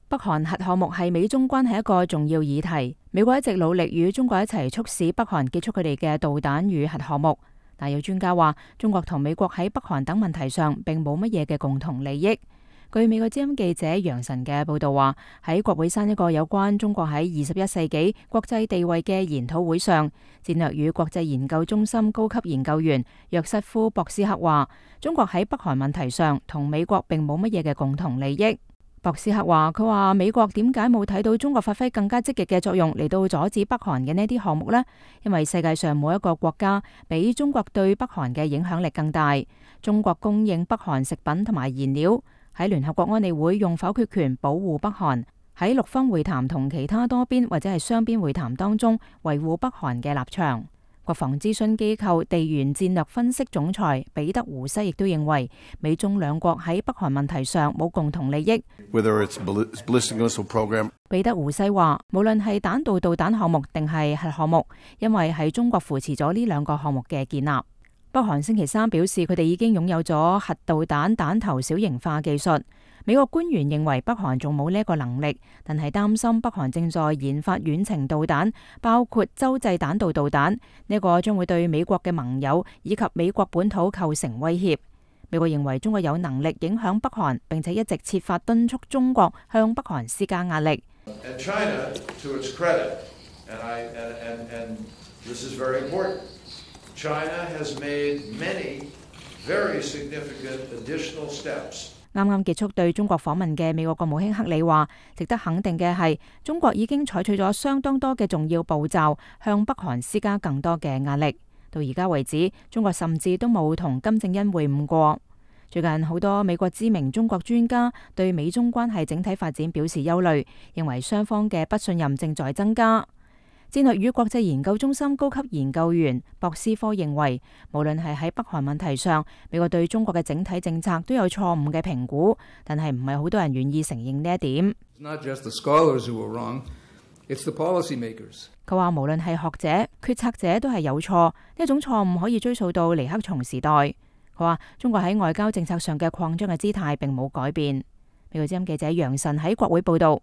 北韓核項目係美中關係一個重要議題，美國一直努力與中國一齊促使北韓結束佢哋嘅導彈與核項目。但有專家話，中國同美國喺北韓等問題上並冇乜嘢嘅共同利益。據美國之音記者楊晨嘅報道話，喺國會山一個有關中國喺21世紀國際地位嘅研討會上，戰略與國際研究中心高級研究員約瑟夫·博斯克話，中國喺北韓問題上同美國並冇乜嘢嘅共同利益。博斯克話，佢話美國點解冇睇到中國發揮更加積極嘅作用嚟到阻止北韓嘅呢啲項目呢？因為世界上冇一個國家比中國對北韓嘅影響力更大。中國供應北韓食品同埋燃料，喺聯合國安理會用否決權保護北韓，喺六方會談同其他多邊或者係雙邊會談當中維護北韓嘅立場。國防諮詢機構地緣戰略分析總裁彼得胡西亦都認為，美中兩國喺北韓問題上冇共同利益。彼得胡西話，無論係彈道導彈項目定係核項目，因為係中國扶持咗呢兩個項目嘅建立。北韓星期三表示，佢哋已經擁有咗核導彈彈頭小型化技術。美國官員認為北韓仲冇呢一個能力，但係擔心北韓正在研發遠程導彈，包括洲際彈道導彈，呢個將會對美國嘅盟友以及美國本土構成威脅。美國認為中國有能力影響北韓，並且一直設法敦促中國向北韓施加壓力。啱啱結束對中國訪問嘅美國國務卿克里話，值得肯定嘅係，中國已經採取咗相當多嘅重要步驟，向北韓施加更多嘅壓力。到而家為止，中國甚至都冇同金正恩會晤過。最近好多美國知名中國專家對美中關係整體發展表示憂慮，認為雙方嘅不信任正在增加。戰略與國際研究中心高級研究員博斯科認為，無論係喺北韓問題上，美國對中國嘅整體政策都有錯誤嘅評估，但係唔係好多人願意承認呢一點。佢話無論係學者、決策者都係有錯，呢一種錯誤可以追溯到尼克松時代。佢話中國喺外交政策上嘅擴張嘅姿態並冇改變。美國之音記者楊晨喺國會報道。